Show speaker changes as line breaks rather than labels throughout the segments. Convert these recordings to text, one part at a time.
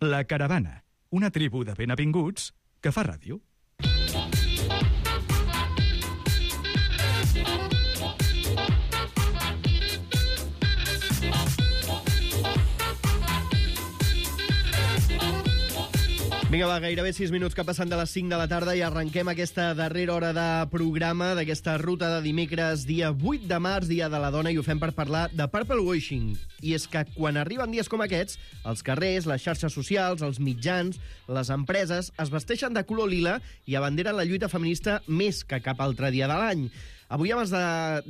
La Caravana, una tribu de benvinguts que fa ràdio.
Vinga, va, gairebé 6 minuts que passen de les 5 de la tarda i arrenquem aquesta darrera hora de programa d'aquesta ruta de dimecres, dia 8 de març, dia de la dona, i ho fem per parlar de purple washing. I és que quan arriben dies com aquests, els carrers, les xarxes socials, els mitjans, les empreses es vesteixen de color lila i abanderen la lluita feminista més que cap altre dia de l'any. Avui, abans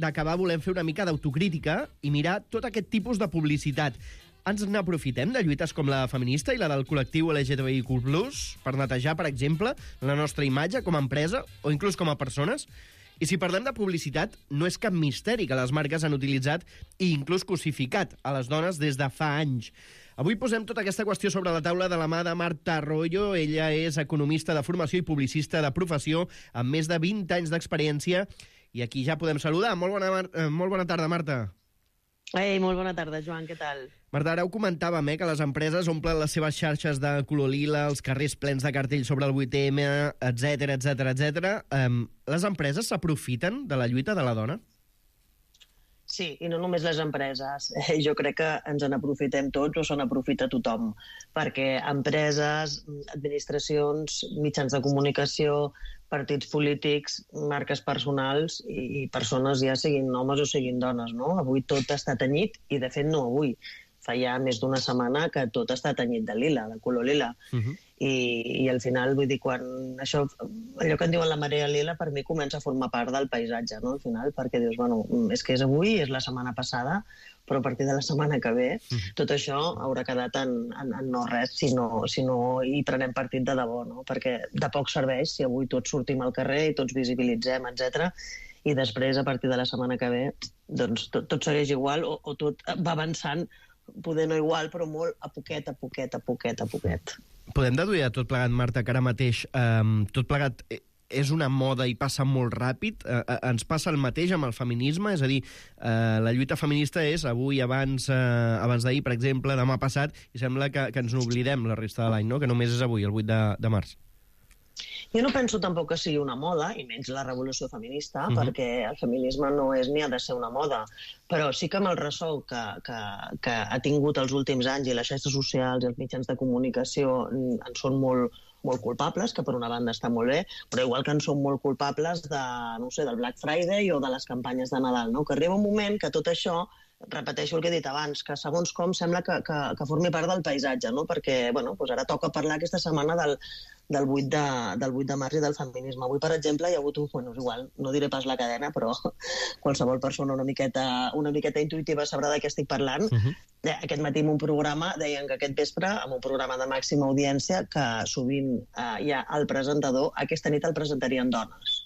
d'acabar, volem fer una mica d'autocrítica i mirar tot aquest tipus de publicitat. Ens n'aprofitem de lluites com la feminista i la del col·lectiu LGTBIQ+, per netejar, per exemple, la nostra imatge com a empresa o inclús com a persones? I si parlem de publicitat, no és cap misteri que les marques han utilitzat i inclús cosificat a les dones des de fa anys. Avui posem tota aquesta qüestió sobre la taula de la mà de Marta Arroyo. Ella és economista de formació i publicista de professió, amb més de 20 anys d'experiència. I aquí ja podem saludar. Molt bona tarda, Marta.
Ei, molt bona tarda, Joan, què tal?
Marta, ara ho comentàvem, que les empreses omplen les seves xarxes de color lila, els carrers plens de cartells sobre el 8M, etc. Les empreses s'aprofiten de la lluita de la dona?
Sí, i no només les empreses. Jo crec que ens en aprofitem tots o se n'aprofita tothom, perquè empreses, administracions, mitjans de comunicació, partits polítics, marques personals i persones, ja siguin homes o siguin dones, no? Avui tot està tenyit, i de fet no avui. Fa ja més d'una setmana que tot està tenyit de lila, de color lila. I al final, vull dir, quan això, allò que en diuen la marea lila, per mi comença a formar part del paisatge, no?, al final, perquè dius, bueno, és que és avui, és la setmana passada, però a partir de la setmana que ve, tot això haurà quedat en no res si no hi prenem partit de debò, no? Perquè de poc serveix si avui tots sortim al carrer i tots visibilitzem, etc. I després, a partir de la setmana que ve, doncs tot segueix igual o tot va avançant, poder no igual, però molt a poquet.
Podem deduir a tot plegat, Marta, que ara mateix tot plegat és una moda i passa molt ràpid? Ens passa el mateix amb el feminisme? És a dir, la lluita feminista és avui, abans d'ahir, per exemple, demà passat, i sembla que ens n'oblidem la resta de l'any, no? Que només és avui, el 8 de març.
Jo no penso tampoc que sigui una moda, i menys la revolució feminista, perquè el feminisme no és ni ha de ser una moda, però sí que amb el ressò que ha tingut els últims anys i les xarxes socials i els mitjans de comunicació en són molt culpables, que per una banda està molt bé, però igual que en són molt culpables del Black Friday o de les campanyes de Nadal, no? Que arriba un moment que tot això, repeteixo el que he dit abans, que segons com sembla que formi part del paisatge, no? Perquè, bueno, doncs ara toca parlar aquesta setmana del 8 de març i del feminisme. Avui, per exemple, hi ha hagut igual, no diré pas la cadena, però qualsevol persona una miqueta intuitiva sabrà de què estic parlant. Aquest matí en un programa deien que aquest vespre, en un programa de màxima audiència, que sovint hi ha el presentador, aquesta nit el presentarien dones.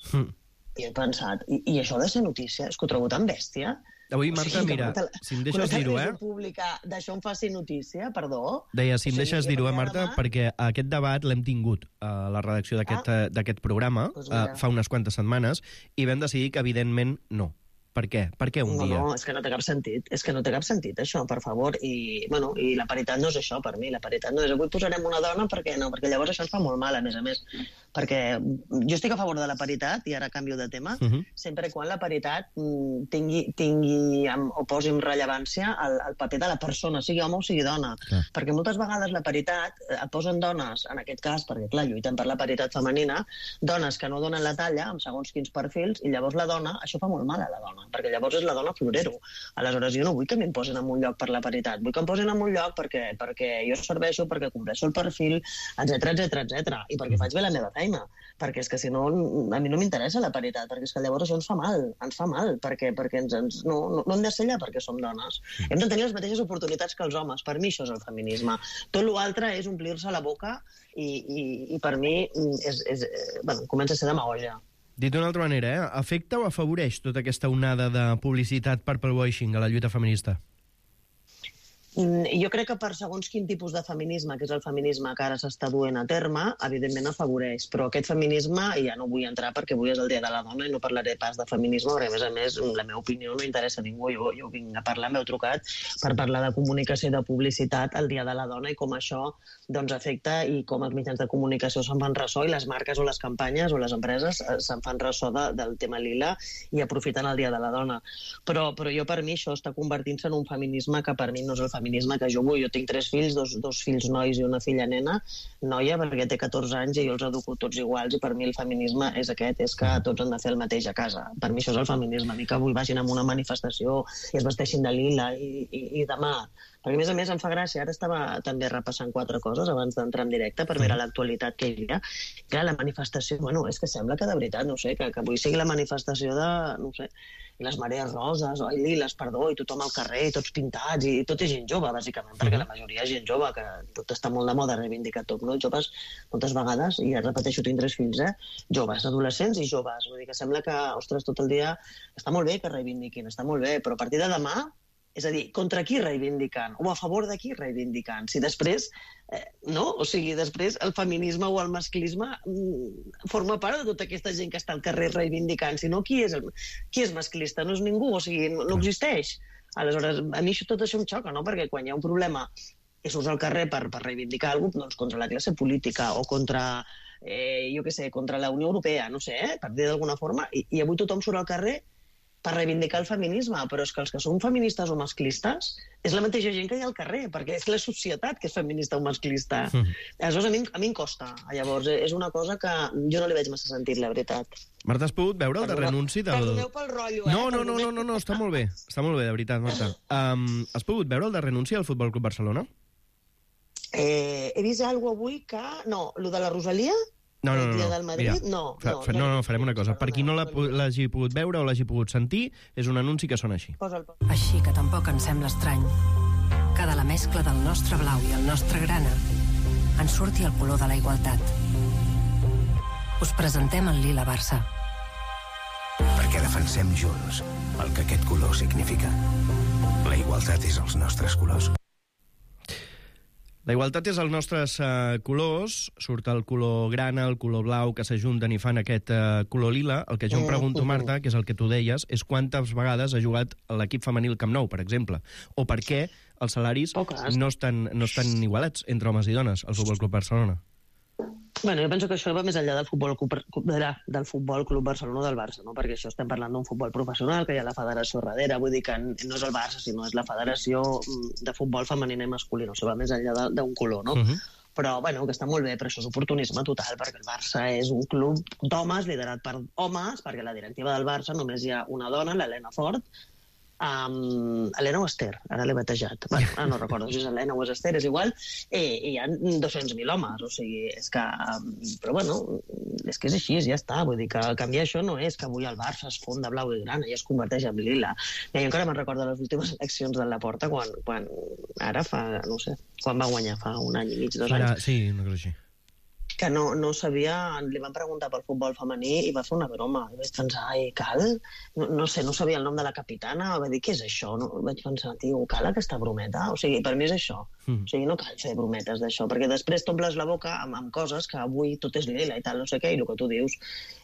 I he pensat, i això ha de ser notícia? És que ho trobo tan bèstia.
Avui, Marta, mira, si em deixes dir-ho,
d'això em faci notícia, perdó.
Deia, si em deixes dir-ho, Marta, perquè aquest debat l'hem tingut a la redacció d'aquest programa fa unes quantes setmanes i vam decidir que, evidentment, no. Per què? Per què un dia?
No, és que no té cap sentit. És que no té cap sentit, això, per favor. I la paritat no és això, per mi. La paritat no és avui posarem una dona, perquè no, perquè llavors això ens fa molt mal, a més. Perquè jo estic a favor de la paritat, i ara canvio de tema, sempre quan la paritat tingui o posi en rellevància el paper de la persona, sigui home o sigui dona. Perquè moltes vegades la paritat posen dones, en aquest cas, perquè clar, lluiten per la paritat femenina, dones que no donen la talla, amb segons quins perfils, i llavors la dona, això fa molt mal a la dona, perquè llavors és la dona florero. Aleshores, jo no vull que m'imposin en un lloc per la paritat, vull que em posin en un lloc perquè jo serveixo, perquè compleixo el perfil, etc. I perquè faig bé la meva feina, perquè és que si no, a mi no m'interessa la paritat, perquè és que llavors això ens fa mal, perquè no hem de ser allà perquè som dones. Hem de tenir les mateixes oportunitats que els homes, per mi això és el feminisme. Tot l'altre és omplir-se la boca i per mi comença a ser demagogia.
Dit d'una altra manera, afecta o afavoreix tota aquesta onada de publicitat purple washing a la lluita feminista?
Jo crec que per segons quin tipus de feminisme, que és el feminisme que ara s'està duent a terme, evidentment afavoreix, però aquest feminisme, i ja no vull entrar perquè avui és el Dia de la Dona i no parlaré pas de feminisme, perquè a més, la meva opinió no interessa a ningú, jo vinc a parlar, m'heu trucat per parlar de comunicació i de publicitat el Dia de la Dona i com això doncs, afecta i com els mitjans de comunicació se'n fan ressò i les marques o les campanyes o les empreses se'n fan ressò del tema lila i aprofiten el Dia de la Dona. Però jo per mi això està convertint-se en un feminisme que per mi no és el feminisme que jo vull. Jo tinc 3 fills, dos fills nois i una filla noia, perquè té 14 anys i jo els educo tots iguals i per mi el feminisme és aquest, és que tots han de fer el mateix a casa. Per mi això és el feminisme, a mi que avui vagin a una manifestació i es vesteixin de lila i demà. Perquè, a més, em fa gràcia. Ara estava també repassant 4 coses abans d'entrar en directe per veure l'actualitat que hi havia. Clar, la manifestació, és que sembla que de veritat, no sé, que avui sigui la manifestació de, no sé, les marees roses, o liles, perdó, i tothom al carrer, tots pintats, i tot és gent jove, bàsicament, perquè la majoria és gent jove, que tot està molt de moda reivindicar tot, no? Joves, moltes vegades, i ja repeteixo, tinc 3 fills, joves, adolescents i joves. Vull dir que sembla que, ostres, tot el dia està molt bé que reivindiquin, està molt bé, però a partir de demà, és a dir, contra qui reivindiquen? O a favor de qui reivindiquen? Si després, no? O sigui, després el feminisme o el masclisme forma part de tota aquesta gent que està al carrer reivindicant. Si no, qui és masclista? No és ningú, o sigui, no existeix. Aleshores, a mi tot això em xoca, no? Perquè quan hi ha un problema i surts al carrer per reivindicar alguna cosa, doncs contra la classe política o contra, jo què sé, contra la Unió Europea, no sé, per dir d'alguna forma, i avui tothom surt al carrer per reivindicar el feminisme, però és que els que són feministes o masclistes és la mateixa gent que hi ha al carrer, perquè és la societat que és feminista o masclista. Aleshores, a mi em costa. Llavors, és una cosa que jo no li veig massa sentit, la veritat.
Marta, has pogut veure el darrer anunci del...
Perdoneu pel rotllo,
No, està molt bé. Està molt bé, de veritat, Marta. Has pogut veure el darrer anunci del Futbol Club Barcelona?
He vist alguna cosa avui que... No, lo de la Rosalia...
No.
Del Madrid?
No, farem una cosa. Per qui no l'hagi pogut veure o l'hagi pogut sentir, és un anunci que sona així.
Així que tampoc ens sembla estrany que de la mescla del nostre blau i el nostre grana en surti el color de la igualtat. Us presentem el Lila Barça.
Perquè defensem junts el que aquest color significa. La igualtat és els nostres colors.
La igualtat és els nostres colors, surt el color grana, el color blau, que s'ajunten i fan aquest color lila. El que jo em pregunto, Marta, que és el que tu deies, és quantes vegades ha jugat l'equip femení al Camp Nou, per exemple, o per què els salaris no estan igualats entre homes i dones al Futbol Club Barcelona.
Bueno, jo penso que això va més enllà del Futbol Club Barcelona o del Barça, no? Perquè això estem parlant d'un futbol professional, que hi ha la federació darrere, vull dir que no és el Barça, sinó és la federació de futbol femenina i masculina, o sigui, va més enllà d'un color, no? Però, bueno, que està molt bé, però això és oportunisme total, perquè el Barça és un club d'homes, liderat per homes, perquè a la directiva del Barça només hi ha una dona, l'Helena Fort, Helena o Esther, ara l'he batejat. Bueno, no recordo si és Helena o és Esther, és igual, i hi ha 200.000 homes, o sigui, és que... Però, bueno, és que és així, ja està, vull dir que canviar això no és que avui el Barça es fon de blau i grana i es converteix en lila. Jo encara me'n recordo les últimes eleccions de Laporta, quan ara fa, no sé, quan va guanyar, fa 1 any i mig, 2 anys.
Sí, una cosa així.
Que no sabia, li van preguntar pel futbol femení i va fer una broma. I vaig pensar, cal? No sé, no sabia el nom de la capitana, va dir, què és això? Vaig pensar, tio, cal aquesta brometa? O sigui, per mi és això. O sigui, no cal fer brometes d'això, perquè després t'omples la boca amb coses que avui tot és lila i tal, no sé què, i el que tu dius,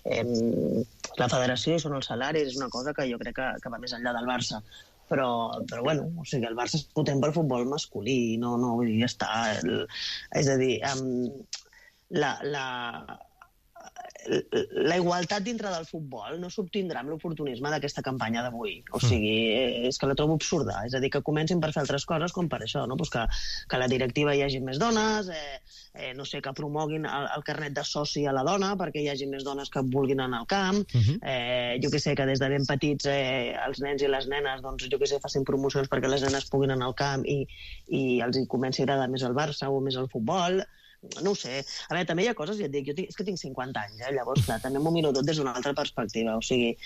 la federació i són els salaris, és una cosa que jo crec que va més enllà del Barça. Però bueno, o sigui, el Barça és potent pel futbol masculí, no, vull dir, ja està. És a dir, la igualtat dintre del futbol no s'obtindrà amb l'oportunisme d'aquesta campanya d'avui. O sigui, és que la trobo absurda. És a dir, que comencin per fer altres coses com per això, no? Pues que la directiva hi hagi més dones, no sé, que promoguin el carnet de soci a la dona perquè hi hagi més dones que vulguin anar al camp, jo que sé, que des de ben petits els nens i les nenes, doncs jo que sé, facin promocions perquè les nenes puguin anar al camp i els comenci a agradar més el Barça o més el futbol. No ho sé. A veure, també hi ha coses, ja et dic, és que tinc 50 anys, llavors, clar, també m'ho miro tot des d'una altra perspectiva. O sigui,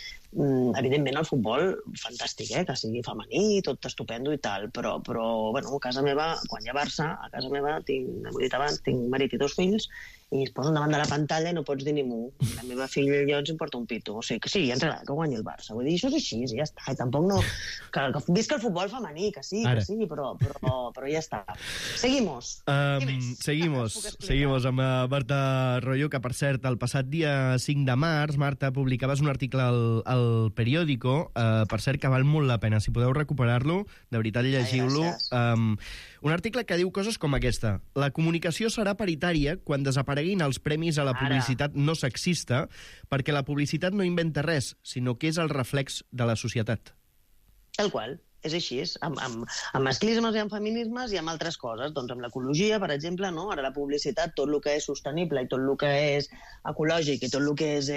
evidentment el futbol, fantàstic, que sigui femení, tot estupendo i tal, però bueno, a casa meva, quan hi ha Barça, a casa meva, ho he dit abans, tinc marit i 2 fills, i es posen davant de la pantalla i no pots dir ni mu. La meva filla i jo ens importa un pito. O sigui, que sí, ens agrada que guanyi el Barça. Vull dir, això és així, i ja està. I tampoc no... Que visca el futbol femení, que sí, però ja està. Seguimos.
Seguimos amb Marta Royo, que, per cert, el passat dia 5 de març, Marta, publicaves un article al Periódico, per cert, que val molt la pena. Si podeu recuperar-lo, de veritat, llegiu-lo. Un article que diu coses com aquesta. La comunicació serà paritària quan desapareguin els premis a la publicitat no sexista, perquè la publicitat no inventa res, sinó que és el reflex de la societat.
Tal qual. És així, amb masclismes i amb feminismes i amb altres coses. Doncs amb l'ecologia, per exemple, no? Ara la publicitat, tot el que és sostenible i tot el que és ecològic i tot el que és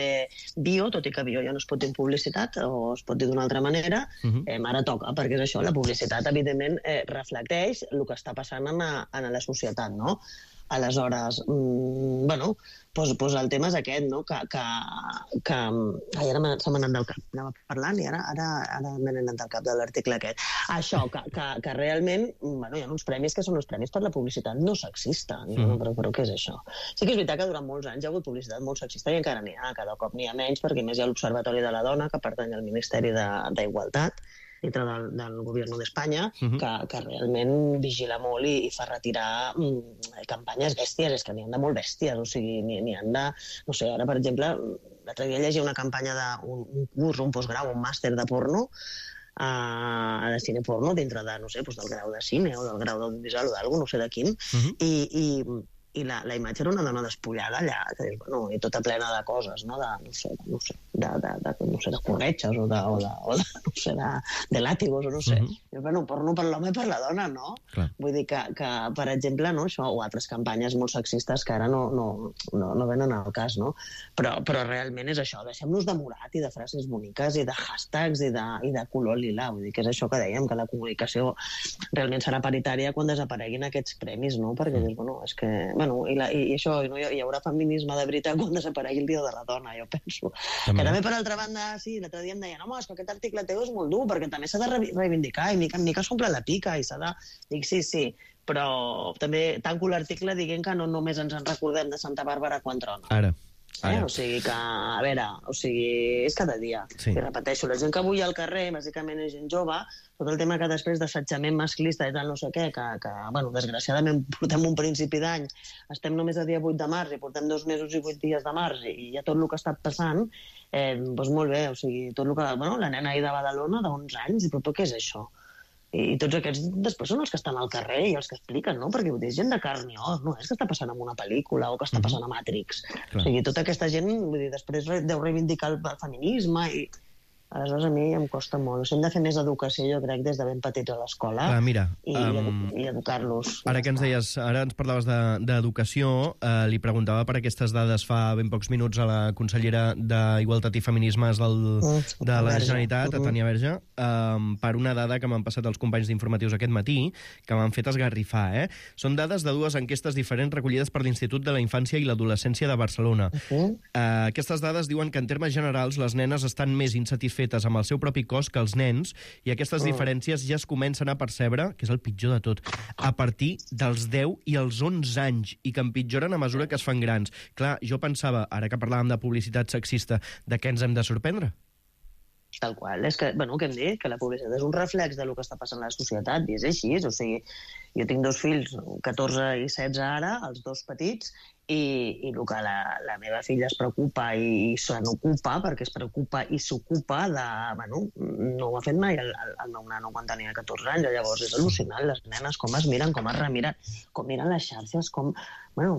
bio, tot i que bio ja no es pot dir en publicitat, o es pot dir d'una altra manera, ara toca, perquè és això, la publicitat, evidentment, reflecteix el que està passant en la societat, no? Aleshores, doncs el tema és aquest, no? Ai, ara se m'ha anat del cap. Anava parlant i ara m'he anat del cap de l'article aquest. Això, que realment hi ha uns premis que són els premis per la publicitat no sexista. Però què és això? Sí que és veritat que durant molts anys hi ha hagut publicitat molt sexista i encara n'hi ha, cada cop n'hi ha menys, perquè més hi ha l'Observatori de la Dona, que pertany al Ministeri d'Igualtat, dintre del govern d'Espanya, que realment vigila molt i fa retirar campanyes bèsties, és que n'hi han de molt bèsties, o sigui, n'hi han de... No sé, ara, per exemple, l'altre dia llegia una campanya d'un curs, un postgrau, un màster de porno, de cine porno, dintre de, no sé, del grau de cine o del grau d'audiovisual o d'alguna, no sé de quin, i la imatge era una dona despullada allà, i tota plena de coses, no sé, de corretxes o de làtigos, o no sé. Porno per l'home i per la dona, no? Vull dir que, per exemple, això, o altres campanyes molt sexistes que ara no venen al cas, no? Però realment és això, deixem-nos de morat i de frases boniques i de hashtags i de color lila. Vull dir que és això que dèiem, que la comunicació realment serà paritària quan desapareguin aquests premis, no? Perquè és que... I això, hi haurà feminisme de veritat quan desaparegui el Dia de la Dona, jo penso. Que també, per altra banda, sí, l'altre dia em deien, home, és que aquest article teu és molt dur, perquè també s'ha de reivindicar, i mica en mica s'omple la pica, i s'ha de... Dic, sí, però també tanco l'article dient que no només ens en recordem de Santa Bàrbara quan trona.
Ara.
O sigui que, a veure, és cada dia. I repeteixo, la gent que avui al carrer, bàsicament és gent jove, tot el tema que després d'assetjament masclista i tal no sé què, que desgraciadament portem un principi d'any, estem només a dia 8 de març i portem 2 mesos i 8 dies de març i ja tot el que ha estat passant, doncs molt bé, o sigui, tot el que... la nena ahir de Badalona d'11 anys, però què és això? I tots aquests després són els que estan al carrer i els que expliquen, no? Perquè ho dius, gent de carn i os, no és que està passant en una pel·lícula o que està passant a Matrix. O sigui, tota aquesta gent, vull dir, després deu reivindicar el feminisme i... Aleshores, a mi em costa molt. Hem de fer més educació, jo crec, des de ben petits a l'escola i educar-los.
Ara que ens deies, ara ens parlaves d'educació, li preguntava per aquestes dades fa ben pocs minuts a la consellera d'Igualtat i Feminismes de la Generalitat, a Tània Verge, per una dada que m'han passat els companys d'informatius aquest matí, que m'han fet esgarrifar. Són dades de 2 enquestes diferents recollides per l'Institut de la Infància i l'Adolescència de Barcelona. Aquestes dades diuen que, en termes generals, les nenes estan més insatisfetes amb el seu propi cos que els nens, i aquestes diferències ja es comencen a percebre, que és el pitjor de tot, a partir dels 10 i els 11 anys, i que empitjoren a mesura que es fan grans. Clar, jo pensava, ara que parlàvem de publicitat sexista, de què ens hem de sorprendre?
Tal qual. És que, què hem dit? Que la publicitat és un reflex del que està passant a la societat, i és així. O sigui, jo tinc 2 fills, 14 i 16 ara, els 2 petits, i el que la meva filla es preocupa i se n'ocupa, perquè es preocupa i s'ocupa de... no ho ha fet mai el meu nano quan tenia 14 anys, llavors és al·lucinant, les nenes com es miren, com es remiren, com miren les xarxes, com...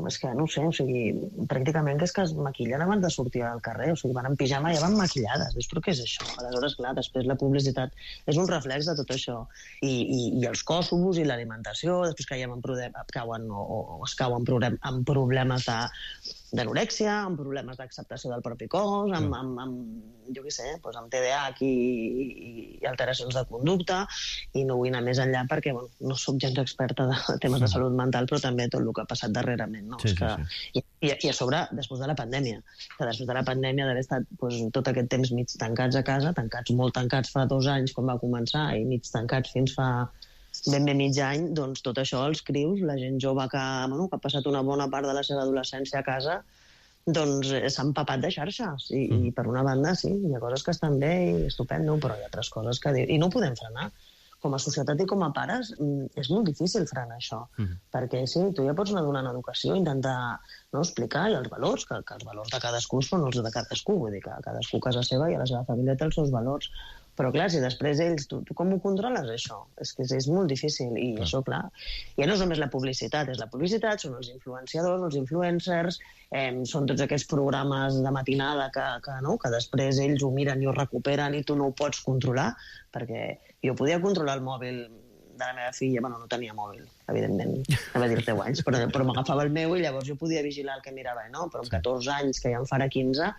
és que no sé, o sigui, pràcticament que és que es maquillen abans de sortir al carrer, o sigui, van en pijama i ja van maquillades, però què és això? Aleshores, clar, després la publicitat és un reflex de tot això, i els cossos i l'alimentació, després caiem en problemes d'anorèxia, amb problemes d'acceptació del propi cos, amb jo què sé, amb TDAH i alteracions de conducta, i no vull anar més enllà perquè no soc gens experta de temes de salut mental, però també tot el que ha passat darrerament, no? I a sobre, després de la pandèmia, que després de la pandèmia d'haver estat tot aquest temps mig tancats a casa, molt tancats fa 2 anys quan va començar, i mig tancats fins fa ben bé mig any, doncs tot això, els crius, la gent jove que ha passat una bona part de la seva adolescència a casa, doncs s'ha empapat de xarxes. I per una banda, sí, hi ha coses que estan bé i estupendo, però hi ha altres coses que... I no ho podem frenar. Com a societat i com a pares, és molt difícil frenar això. Perquè sí, tu ja pots anar donant educació, intentar explicar i els valors, que els valors de cadascú són els de cadascú. Vull dir que cadascú a casa seva i a la seva família té els seus valors. Però, clar, si després ells... Tu com ho controles, això? És que és molt difícil. I això, clar, ja no és només la publicitat. És la publicitat, són els influenciadors, els influencers, són tots aquests programes de matinada que després ells ho miren i ho recuperen i tu no ho pots controlar, perquè jo podia controlar el mòbil de la meva filla, no tenia mòbil, evidentment, anava a dir 10 anys, però m'agafava el meu i llavors jo podia vigilar el que mirava, però amb 14 anys, que ja em farà 15,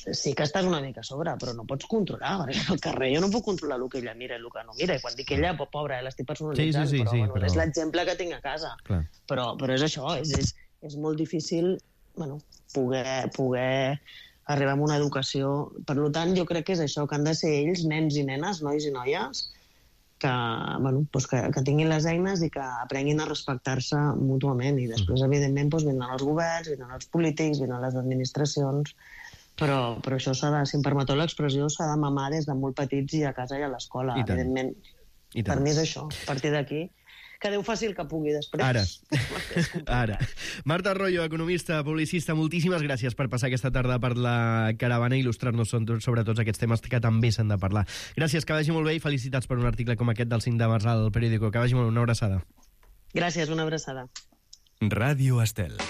sí que estàs una mica a sobre, però no pots controlar, perquè al carrer jo no puc controlar el que ella mira i el que no mira, i quan dic ella, pobra, l'estic personalitzant, però és l'exemple que tinc a casa. Però és això, és molt difícil poder arribar a una educació. Per tant, jo crec que és això, que han de ser ells, nens i nenes, nois i noies, que tinguin les eines i que aprenguin a respectar-se mútuament. I després, evidentment, vindran els governs, vindran els polítics, vindran les administracions, però això s'ha de, si em permeteu l'expressió, s'ha de mamar des de molt petits i a casa i a l'escola, evidentment. Per mi és això, a partir d'aquí. Que Déu faci el que pugui després.
Ara. Marta Arroyo, economista, publicista, moltíssimes gràcies per passar aquesta tarda per la caravana i il·lustrar-nos sobre tots aquests temes que també s'han de parlar. Gràcies, que vagi molt bé i felicitats per un article com aquest del 5 de març al Periódico. Que vagi molt bé, una abraçada.
Gràcies, una abraçada.
Ràdio Estel.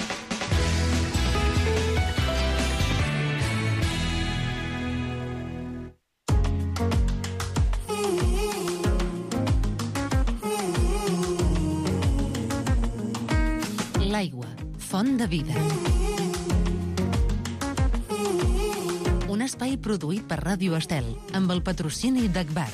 L'aigua, font de vida. Un espai produït per Ràdio Estel, amb el patrocini d'Agbar.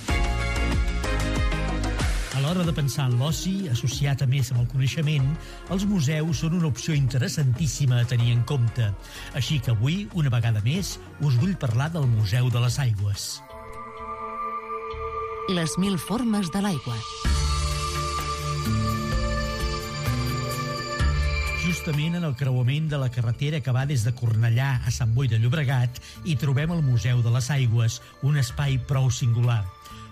A l'hora de pensar en l'oci, associat a més amb el coneixement, els museus són una opció interessantíssima a tenir en compte. Així que avui, una vegada més, us vull parlar del Museu de les Aigües.
Les 1000 formes de l'aigua.
Justament en el creuament de la carretera que va des de Cornellà a Sant Boi de Llobregat hi trobem el Museu de les Aigües, un espai prou singular.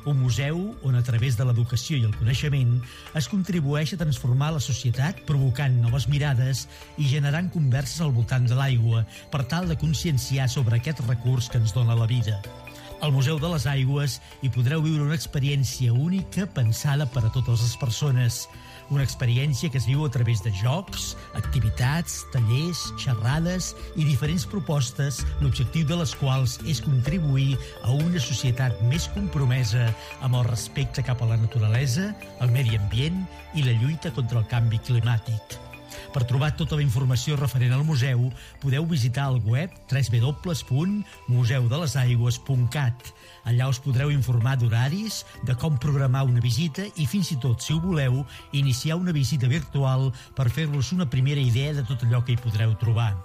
Un museu on, a través de l'educació i el coneixement, es contribueix a transformar la societat provocant noves mirades i generant converses al voltant de l'aigua per tal de conscienciar sobre aquest recurs que ens dona la vida. Al Museu de les Aigües hi podreu viure una experiència única pensada per a totes les persones. Una experiència que es viu a través de jocs, activitats, tallers, xerrades i diferents propostes, l'objectiu de les quals és contribuir a una societat més compromesa amb el respecte cap a la naturalesa, el medi ambient i la lluita contra el canvi climàtic. Per trobar tota la informació referent al museu, podeu visitar el web www.museudelesAigües.cat. Allà us podreu informar d'horaris, de com programar una visita i, fins i tot, si ho voleu, iniciar una visita virtual per fer-vos una primera idea de tot allò que hi podreu trobar.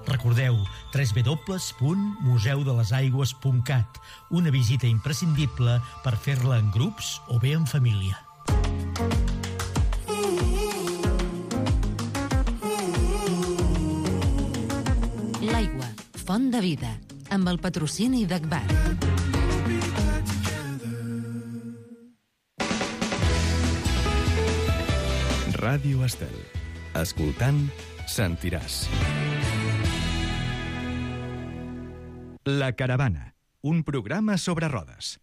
Recordeu, www.museudelesAigües.cat, una visita imprescindible per fer-la en grups o bé en família.
L'aigua, font de vida, amb el patrocini d'Agbar.
Ràdio Estel. Escoltant, sentiràs. La caravana, un programa sobre rodes.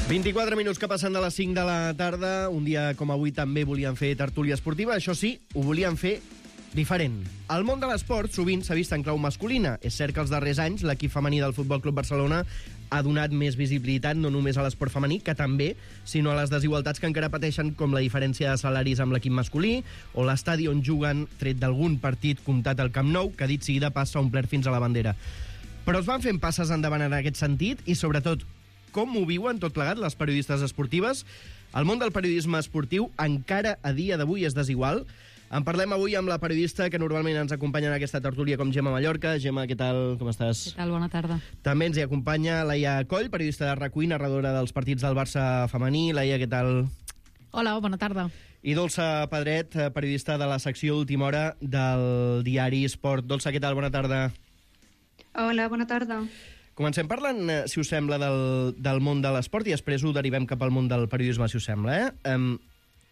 ...24 minuts que passen de les 5 de la tarda. Un dia com avui també volien fer tertúlia esportiva. Això sí, ho volien fer diferent. El món de l'esport sovint s'ha vist en clau masculina. És cert que els darrers anys l'equip femení del Futbol Club Barcelona ha donat més visibilitat no només a l'esport femení, que també, sinó a les desigualtats que encara pateixen, com la diferència de salaris amb l'equip masculí o l'estadi on juguen, tret d'algun partit comptat al Camp Nou, que dit sigui de pas s'ha omplert fins a la bandera. Però es van fent passes endavant en aquest sentit i, sobretot, com ho viuen tot plegat les periodistes esportives? El món del periodisme esportiu encara a dia d'avui és desigual. En parlem avui amb la periodista que normalment ens acompanya en aquesta tertúlia com Gemma Mallorca. Gemma, què tal? Com estàs?
Què tal? Bona tarda.
També ens hi acompanya Laia Coll, periodista de RAC1, narradora dels partits del Barça femení. Laia, què tal?
Hola, bona tarda.
I Dolça Pedret, periodista de la secció Última Hora del diari Esport. Dolça, què tal? Bona tarda.
Hola, bona tarda.
Comencem parlant, si us sembla, del món de l'esport i després ho derivem cap al món del periodisme, si us sembla.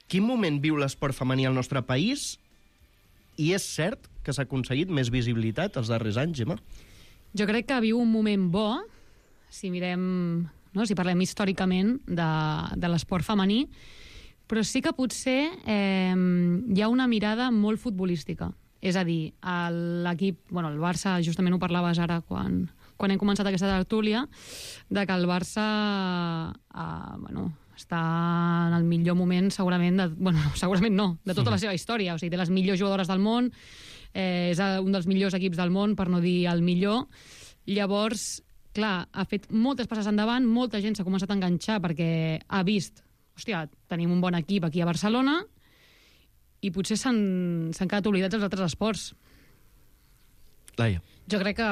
Quin moment viu l'esport femení al nostre país? I és cert que s'ha aconseguit més visibilitat els darrers anys, Gemma?
Jo crec que viu un moment bo, si mirem, no, si parlem històricament de l'esport femení, però sí que potser hi ha una mirada molt futbolística. És a dir, l'equip, bueno, el Barça, justament ho parlaves ara quan hem començat aquesta tertúlia, de que el Barça està en el millor moment segurament, segurament no, de tota la seva història. O sigui, té les millors jugadores del món, és un dels millors equips del món, per no dir el millor. Llavors, clar, ha fet moltes passes endavant, molta gent s'ha començat a enganxar perquè ha vist, hòstia, tenim un bon equip aquí a Barcelona, i potser s'han quedat oblidats els altres esports.
Laia.
Jo crec que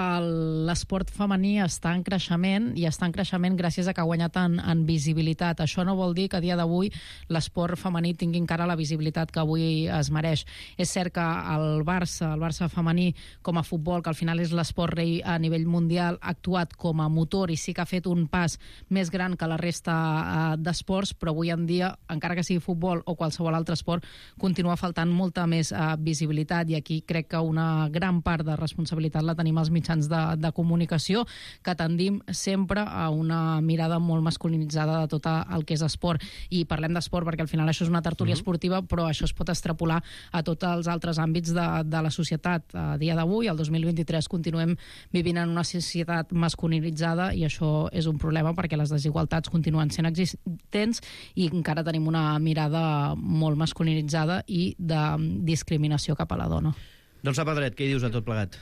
l'esport femení està en creixement i està en creixement gràcies a que ha guanyat en visibilitat. Això no vol dir que a dia d'avui l'esport femení tingui encara la visibilitat que avui es mereix. És cert que el Barça femení com a futbol, que al final és l'esport rei a nivell mundial, ha actuat com a motor i sí que ha fet un pas més gran que la resta d'esports, però avui en dia, encara que sigui futbol o qualsevol altre esport, continua faltant molta més visibilitat i aquí crec que una gran part de responsabilitat la tenim els mitjans de comunicació, que tendim sempre a una mirada molt masculinitzada de tot el que és esport. I parlem d'esport perquè al final això és una tertúlia esportiva, però això es pot extrapolar a tots els altres àmbits de la societat. A dia d'avui, el 2023, continuem vivint en una societat masculinitzada i això és un problema perquè les desigualtats continuen sent existents i encara tenim una mirada molt masculinitzada i de discriminació cap a la dona.
Dolça Pedret, què hi dius a tot plegat?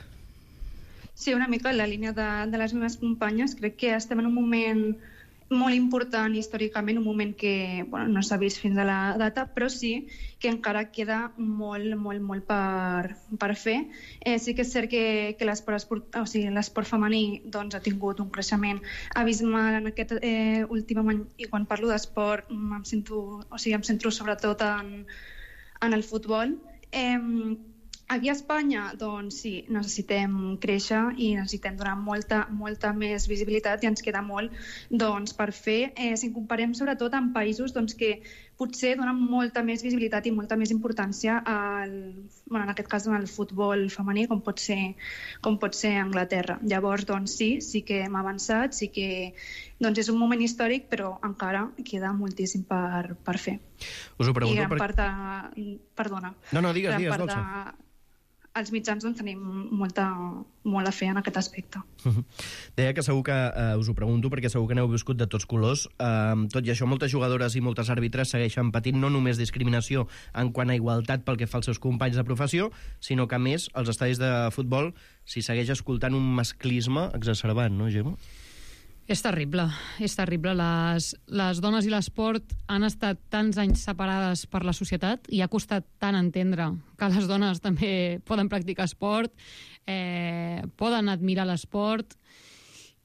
Sí, una mica en la línia de les meves companyes. Crec que estem en un moment molt important històricament, un moment que no s'ha vist fins a la data, però sí que encara queda molt per fer. Sí que és cert que l'esport femení ha tingut un creixement abismal en aquest últim any, i quan parlo d'esport em centro sobretot en el futbol. Aquí a Espanya, doncs sí, necessitem créixer i necessitem donar molta més visibilitat i ens queda molt per fer. Si comparem sobretot amb països que potser donen molta més visibilitat i molta més importància en aquest cas al futbol femení, com pot ser Anglaterra. Llavors, sí que hem avançat, sí que és un moment històric, però encara queda moltíssim per fer.
Us ho pregunto
I gran part perdona.
No, digues, Dolça.
Els mitjans tenim molt a fer en aquest aspecte.
Deia que segur que us ho pregunto perquè segur que n'heu viscut de tots colors. Tot i això, moltes jugadores i moltes àrbitres segueixen patint no només discriminació en quant a igualtat pel que fa als seus companys de professió, sinó que, a més, als estadis de futbol s'hi segueix escoltant un masclisme exacerbat, no, Gemma?
És terrible, és terrible. Les dones i l'esport han estat tants anys separades per la societat i ha costat tant entendre que les dones també poden practicar esport, poden admirar l'esport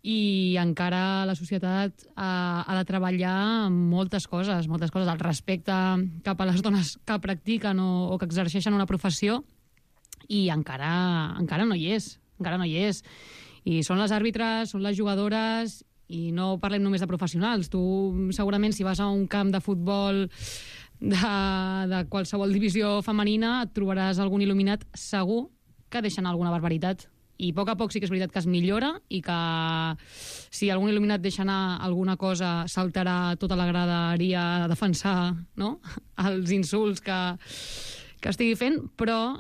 i encara la societat ha de treballar moltes coses. El respecte cap a les dones que practiquen o que exerceixen una professió i encara no hi és. I són les àrbitres, són les jugadores, i no parlem només de professionals. Tu, segurament, si vas a un camp de futbol de qualsevol divisió femenina, et trobaràs algun il·luminat segur que deixen alguna barbaritat. I a poc sí que és veritat que es millora i que si algun il·luminat deixa anar alguna cosa saltarà tota la graderia a defensar, no?, els insults que estigui fent, però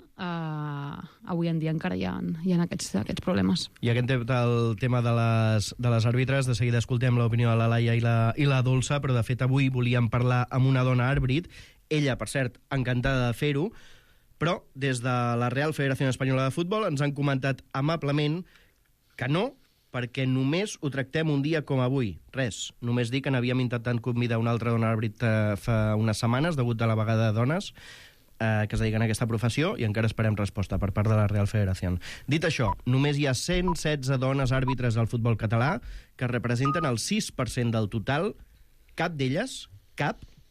avui en dia encara hi ha aquests problemes.
I aquest el tema de les àrbitres, de seguida escoltem l'opinió de la Laia i la Dolça, però de fet avui volíem parlar amb una dona àrbit, ella, per cert, encantada de fer-ho, però des de la Real Federació Espanyola de Futbol ens han comentat amablement que no, perquè només ho tractem un dia com avui. Res, només dir que n'havíem intentat convidar una altra dona àrbit fa unes setmanes, degut a la vegada de dones, que es dediquen a aquesta professió i encara esperem resposta per part de la Real Federación. Dit això, només hi ha 116 dones àrbitres del futbol català que representen el 6% del total. Cap d'elles,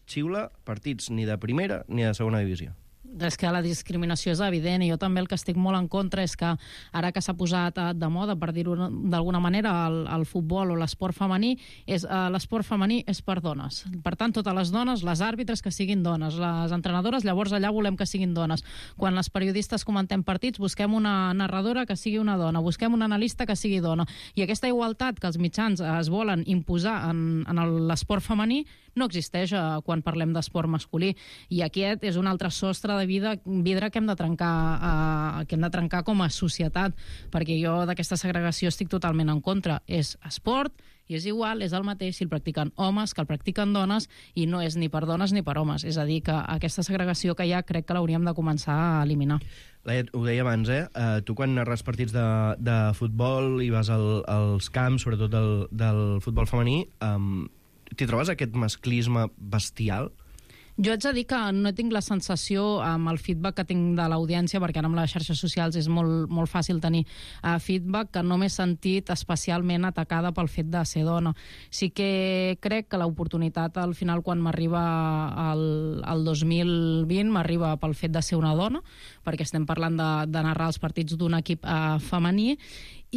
xiula partits ni de primera ni de segona divisió.
És que la discriminació és evident i jo també el que estic molt en contra és que ara que s'ha posat de moda, per dir-ho d'alguna manera, el futbol o l'esport femení, l'esport femení és per dones. Per tant, totes les dones, les àrbitres que siguin dones, les entrenadores, llavors allà volem que siguin dones. Quan les periodistes comentem partits, busquem una narradora que sigui una dona, busquem un analista que sigui dona. I aquesta igualtat que els mitjans es volen imposar en l'esport femení no existeix quan parlem d'esport masculí. I aquest és un altre sostre de vidre que hem de trencar com a societat, perquè jo d'aquesta segregació estic totalment en contra. És esport i és igual, és el mateix si el practiquen homes que el practiquen dones i no és ni per dones ni per homes. És a dir, que aquesta segregació que hi ha crec que l'hauríem de començar a eliminar.
Laia, ho deia abans, tu quan narres partits de futbol i vas als camps, sobretot del futbol femení, t'hi trobes aquest masclisme bestial?
Jo haig de dir que no tinc la sensació amb el feedback que tinc de l'audiència, perquè ara amb les xarxes socials és molt fàcil tenir feedback, que no m'he sentit especialment atacada pel fet de ser dona. Sí que crec que l'oportunitat al final, quan m'arriba al 2020, m'arriba pel fet de ser una dona, perquè estem parlant de narrar els partits d'un equip femení,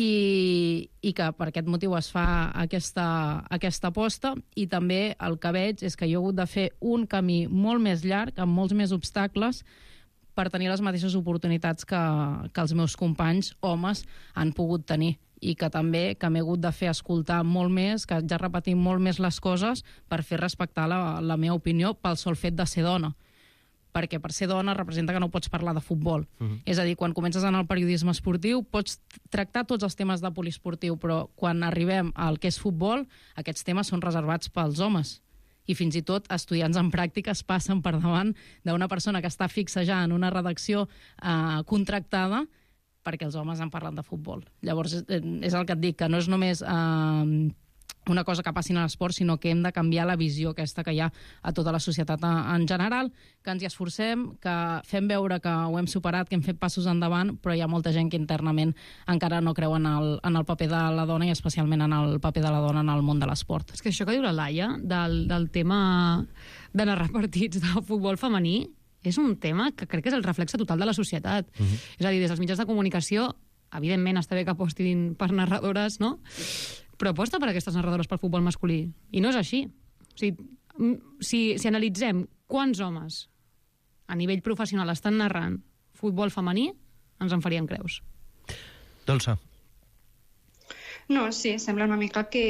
i que per aquest motiu es fa aquesta aposta. I també el que veig és que jo he hagut de fer un camí molt més llarg, amb molts més obstacles, per tenir les mateixes oportunitats que els meus companys homes han pogut tenir, i que també que m'he hagut de fer escoltar molt més, que haig de repetir molt més les coses per fer respectar la meva opinió pel sol fet de ser dona, perquè per ser dona representa que no pots parlar de futbol. És a dir, quan comences en el periodisme esportiu pots tractar tots els temes de poliesportiu, però quan arribem al que és futbol, aquests temes són reservats pels homes. I fins i tot estudiants en pràctiques passen per davant d'una persona que està fixa ja en una redacció contractada perquè els homes en parlen de futbol. Llavors, és el que et dic, que no és només una cosa que passi en l'esport, sinó que hem de canviar la visió aquesta que hi ha a tota la societat en general, que ens hi esforcem, que fem veure que ho hem superat, que hem fet passos endavant, però hi ha molta gent que internament encara no creu en el paper de la dona i especialment en el paper de la dona en el món de l'esport.
És que això que diu la Laia del tema de narrar partits de futbol femení és un tema que crec que és el reflexe total de la societat. És a dir, des dels mitjans de comunicació, evidentment està bé que apostin per narradores, no? Però aposta per aquestes narradores pel futbol masculí. I no és així. O sigui, si analitzem quants homes a nivell professional estan narrant futbol femení, ens en faríem creus.
Dolça.
No, sí, sembla una mica que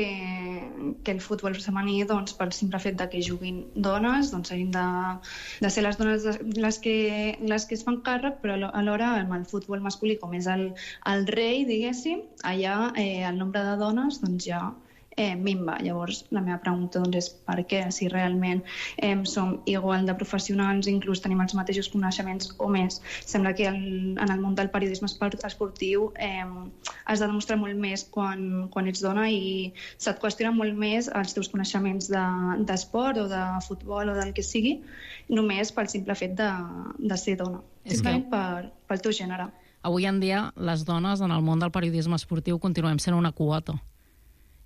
el futbol femení, doncs, pel simple fet de que juguin dones, doncs hagin de ser les dones les que es fan càrrec, però alhora amb el futbol masculí, com és el rei, diguéssim, allà el nombre de dones doncs ja minva. Llavors, la meva pregunta doncs, és per què, si realment som igual de professionals, inclús tenim els mateixos coneixements o més. Sembla que en el món del periodisme esportiu has de demostrar molt més quan ets dona i se't qüestiona molt més els teus coneixements d'esport o de futbol o del que sigui, només pel simple fet de ser dona. Simplement pel teu gènere.
Avui en dia, les dones en el món del periodisme esportiu continuem sent una quota.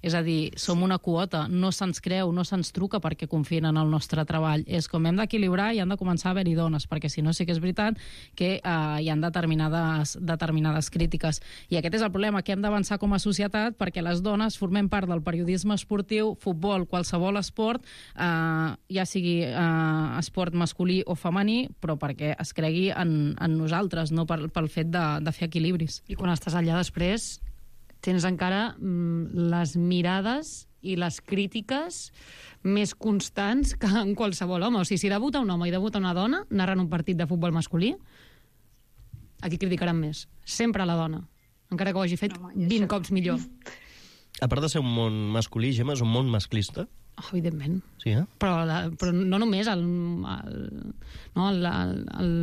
És a dir, som una quota, no se'ns creu, no se'ns truca perquè confien en el nostre treball. És com hem d'equilibrar i han de començar a haver-hi dones, perquè si no sí que és veritat que hi ha determinades crítiques. I aquest és el problema, que hem d'avançar com a societat perquè les dones formem part del periodisme esportiu, futbol, qualsevol esport, ja sigui esport masculí o femení, però perquè es cregui en nosaltres, no pel fet de fer equilibris.
I quan estàs allà després tens encara les mirades i les crítiques més constants que en qualsevol home. O sigui, si debuta un home i debuta una dona narrant un partit de futbol masculí, a qui criticaran més? Sempre a la dona, encara que ho hagi fet 20 cops millor.
A part de ser un món masculí, Gemma, és un món masclista?
Evidentment.
Sí,
Però no només el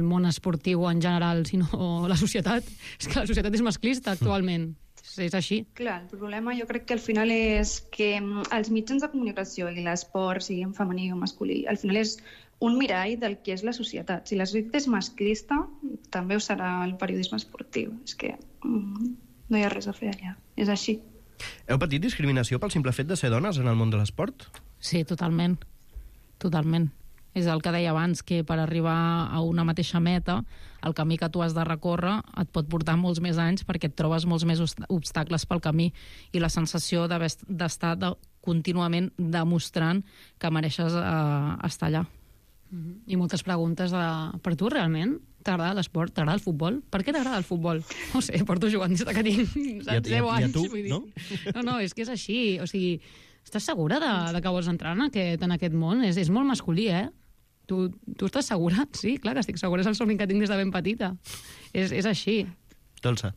món esportiu en general, sinó la societat. És que la societat és masclista actualment. És així.
Clar, el problema jo crec que al final és que els mitjans de comunicació i l'esport, sigui en femení o masculí, al final és un mirall del que és la societat. Si la societat és masclista, també ho serà el periodisme esportiu. És que no hi ha res a fer allà. És així.
Heu patit discriminació pel simple fet de ser dones en el món de l'esport?
Sí, totalment. Totalment. És el que deia abans, que per arribar a una mateixa meta, el camí que tu has de recórrer et pot portar molts més anys perquè et trobes molts més obstacles pel camí i la sensació d'estar contínuament demostrant que mereixes estar allà.
I moltes preguntes per tu, realment? T'agrada l'esport? T'agrada el futbol? Per què t'agrada el futbol? No sé, porto jugant des que tinc 10 anys.
I a tu, no?
No, és que és així. O sigui, estàs segura de que vols entrar en aquest món? És molt masculí, eh? Tu estàs segura? Sí, clar que estic segura. És el somni que tinc des de ben petita. És així.
Dolça.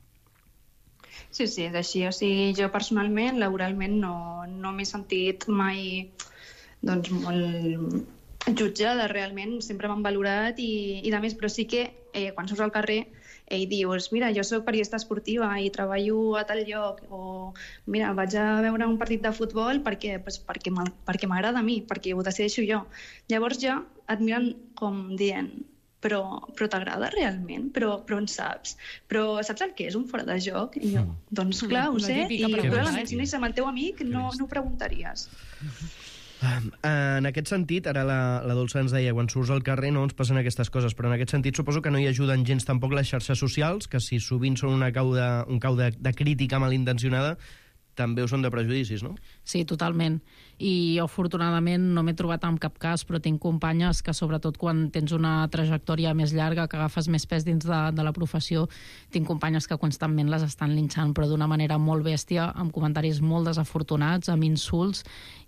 Sí, és així. O sigui, jo personalment, laboralment, no m'he sentit mai molt jutjada, realment. Sempre m'han valorat i de més, però sí que quan surts al carrer i dius, mira, jo soc periodista esportiva i treballo a tal lloc, o mira, vaig a veure un partit de futbol perquè m'agrada a mi, perquè ho decideixo jo. Llavors ja et miren com dient, però t'agrada realment? Però en saps? Però saps el que és un fora de joc? I jo, doncs clar, ho sé, i probablement si no és amb el teu amic no ho preguntaries.
En aquest sentit, ara la Dolça ens deia, quan surts al carrer no ens passen aquestes coses, però en aquest sentit suposo que no hi ajuden gens tampoc les xarxes socials, que si sovint són un cau de crítica malintencionada, també ho són de prejudicis, no?
Sí, totalment. I jo, afortunadament, no m'he trobat en cap cas, però tinc companyes que, sobretot quan tens una trajectòria més llarga, que agafes més pes dins de la professió, tinc companyes que constantment les estan linxant, però d'una manera molt bèstia, amb comentaris molt desafortunats, amb insults,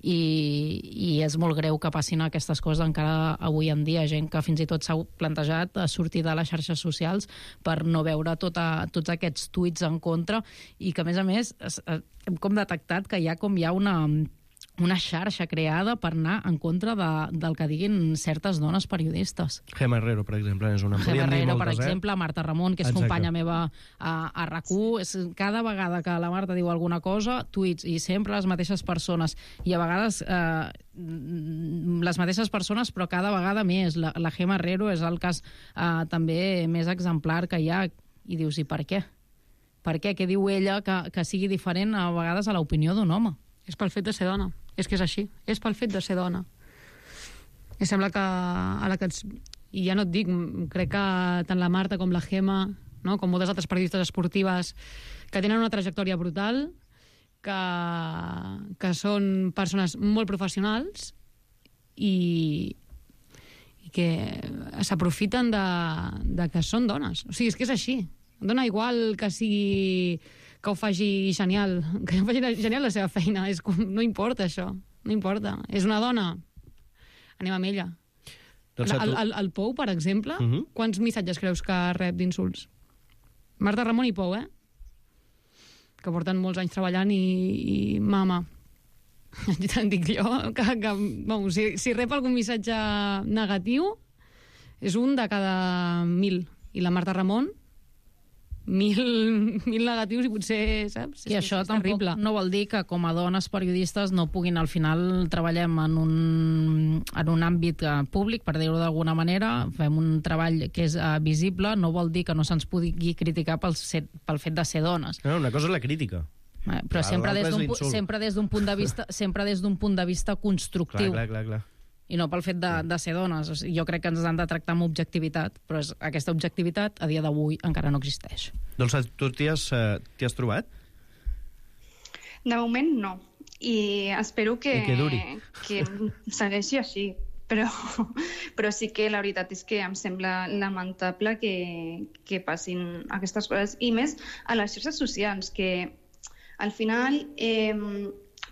i és molt greu que passin aquestes coses encara avui en dia. Gent que fins i tot s'ha plantejat a sortir de les xarxes socials per no veure tots aquests tuits en contra, i que, a més, hem com detectat que hi ha una xarxa creada per anar en contra del que diguin certes dones periodistes.
Gemma Herrero, per exemple, és una...
Gemma Herrero, per exemple, Marta Ramon, que és companya meva a RAC1. Cada vegada que la Marta diu alguna cosa, tuits, i sempre les mateixes persones. I a vegades les mateixes persones, però cada vegada més. La Gemma Herrero és el cas també més exemplar que hi ha. I dius, i per què? Per què? Què diu ella que sigui diferent a vegades a l'opinió d'un home?
És pel fet de ser dona. És que és així. És pel fet de ser dona. I sembla que i ja no et dic, crec que tant la Marta com la Gemma, no? Com moltes altres periodistes esportives que tenen una trajectòria brutal, que són persones molt professionals i que s'aprofiten de que són dones. O sigui, és que és així. Dona igual que sigui... que ho faci genial, la seva feina. No importa això, no importa. És una dona, anem amb ella. El Pou, per exemple, quants missatges creus que rep d'insults? Marta Ramon i Pou, que porten molts anys treballant i mama, te'n dic jo, si rep algun missatge negatiu, és un de cada 1.000. I la Marta Ramon, 1.000 negatius i potser, saps?
I això tampoc no vol dir que com a dones periodistes no puguin, al final treballem en un àmbit públic, per dir-ho d'alguna manera, fem un treball que és visible, no vol dir que no se'ns pugui criticar pel fet de ser dones.
No, una cosa és la crítica.
Però sempre des d'un punt de vista constructiu.
Clar.
I no pel fet de ser dones. Jo crec que ens han de tractar amb objectivitat, però aquesta objectivitat a dia d'avui encara no existeix.
Doncs tu t'hi has trobat?
De moment no. I espero que segueixi així. Però sí que la veritat és que em sembla lamentable que passin aquestes coses. I més a les xarxes socials, que al final...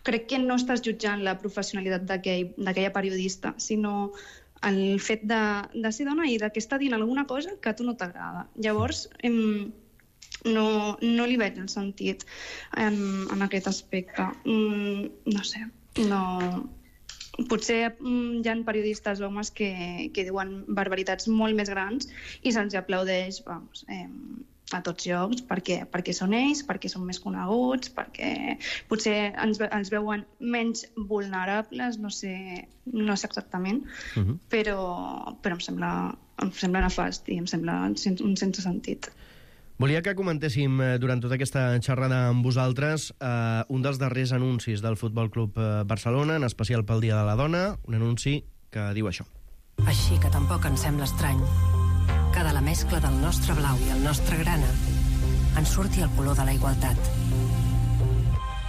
crec que no estàs jutjant la professionalitat d'aquella periodista, sinó el fet de ser dona i que està dient alguna cosa que a tu no t'agrada. Llavors, no li veig el sentit en aquest aspecte. No sé, potser hi ha periodistes homes que diuen barbaritats molt més grans i se'ls aplaudeix a tots llocs, perquè són ells, perquè són més coneguts, perquè potser ens veuen menys vulnerables, no sé exactament, però em sembla nefast i em sembla un sense sentit.
Volia que comentéssim durant tota aquesta xerrada amb vosaltres un dels darrers anuncis del Futbol Club Barcelona, en especial pel Dia de la Dona, un anunci que diu això.
Així que tampoc ens sembla estrany que de la mescla del nostre blau i el nostre grana en surti el color de la igualtat.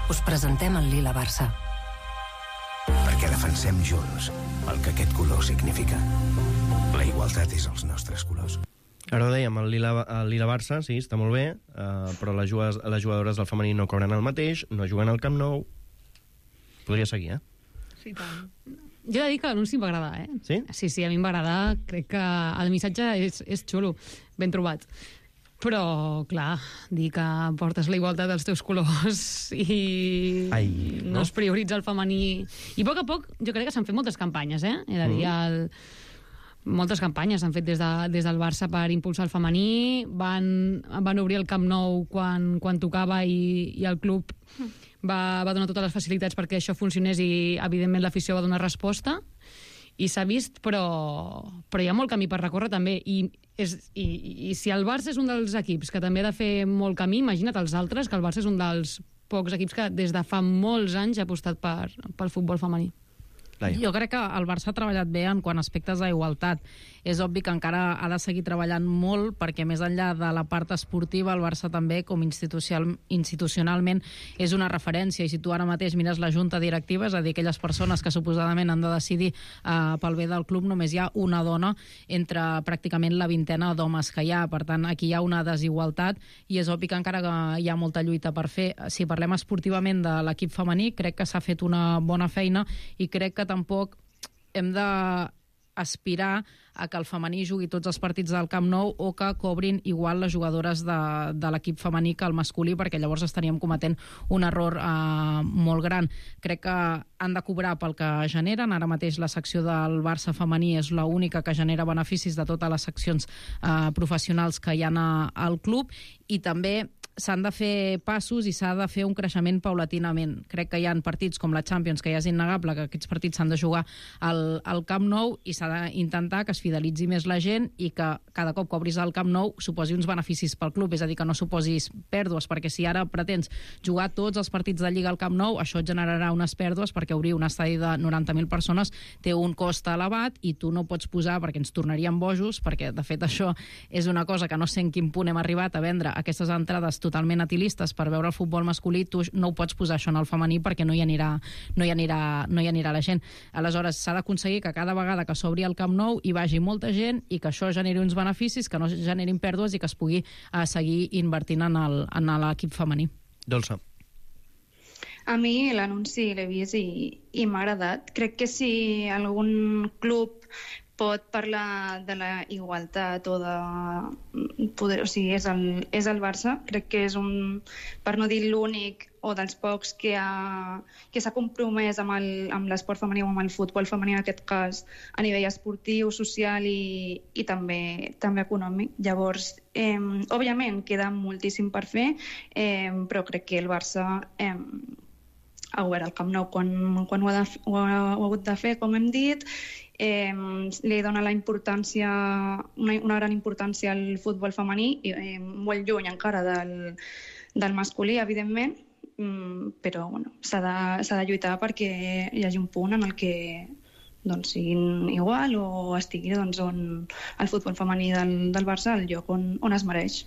Us presentem el Lila Barça.
Perquè defensem junts el que aquest color significa. La igualtat és els nostres colors.
Ara ho dèiem, el Lila Barça, sí, està molt bé, però les jugadores del femení no cobren el mateix, no juguen al Camp Nou. Podria seguir,
Sí, tant. Jo he de dir que l'anunci em va agradar,
Sí?
Sí, a mi em va agradar. Crec que el missatge és xulo, ben trobat. Però, clar, dir que portes la igualtat dels teus colors i no es prioritza el femení... I a poc jo crec que s'han fet moltes campanyes, He de dir, moltes campanyes s'han fet des del Barça per impulsar el femení. Van obrir el Camp Nou quan tocava i el club va donar totes les facilitats perquè això funcionés i, evidentment, l'afició va donar resposta. I s'ha vist, però hi ha molt camí per recórrer també. I si el Barça és un dels equips que també ha de fer molt camí, imagina't els altres, que el Barça és un dels pocs equips que des de fa molts anys ha apostat pel futbol femení.
Jo crec que el Barça ha treballat bé en quant a aspectes d'igualtat. És obvi que encara ha de seguir treballant molt perquè més enllà de la part esportiva el Barça també com institucionalment és una referència, i si tu ara mateix mires la junta directiva, és a dir, aquelles persones que suposadament han de decidir pel bé del club, només hi ha una dona entre pràcticament la vintena d'homes que hi ha. Per tant, aquí hi ha una desigualtat i és obvi que encara hi ha molta lluita per fer. Si parlem esportivament de l'equip femení, crec que s'ha fet una bona feina i crec que tampoc hem d'aspirar a que el femení jugui tots els partits del Camp Nou o que cobrin igual les jugadores de l'equip femení que el masculí, perquè llavors estaríem cometent un error molt gran. Crec que han de cobrar pel que generen. Ara mateix la secció del Barça femení és l'única que genera beneficis de totes les seccions professionals que hi ha al club, i també s'han de fer passos i s'ha de fer un creixement paulatinament. Crec que hi ha partits com la Champions, que ja és innegable que aquests partits s'han de jugar al Camp Nou, i s'ha d'intentar que es fidelitzi més la gent i que cada cop que obris el Camp Nou suposi uns beneficis pel club, és a dir, que no suposis pèrdues, perquè si ara pretens jugar tots els partits de Lliga al Camp Nou, això et generarà unes pèrdues, perquè obrir un estadi de 90.000 persones té un cost elevat i tu no pots posar, perquè ens tornaríem bojos, perquè de fet això és una cosa que no sé en quin punt hem arribat a vendre aquestes entrades totalment atilistes per veure el futbol masculí. Tu no ho pots posar això en el femení perquè no hi anirà la gent. Aleshores s'ha d'aconseguir que cada vegada que s'obri el Camp Nou hi vagi molta gent i que això generi uns beneficis, que no generin pèrdues i que es pugui seguir invertint en l'equip femení.
Dolça.
A mi l'anunci l'he vist i m'ha agradat. Crec que si algun club pot parlar de la igualtat o de poder, o sigui, és el Barça. Crec que és per no dir l'únic o dels pocs que s'ha compromès amb l'esport femení o amb el futbol femení, en aquest cas, a nivell esportiu, social i també econòmic. Llavors, òbviament, queda moltíssim per fer, però crec que el Barça ha obert el Camp Nou quan ho ha hagut de fer, com hem dit. Li dona una gran importància al futbol femení, molt lluny encara del masculí, evidentment, però s'ha de lluitar perquè hi hagi un punt en el que siguin igual o estigui on el futbol femení del Barça al lloc on es mereix.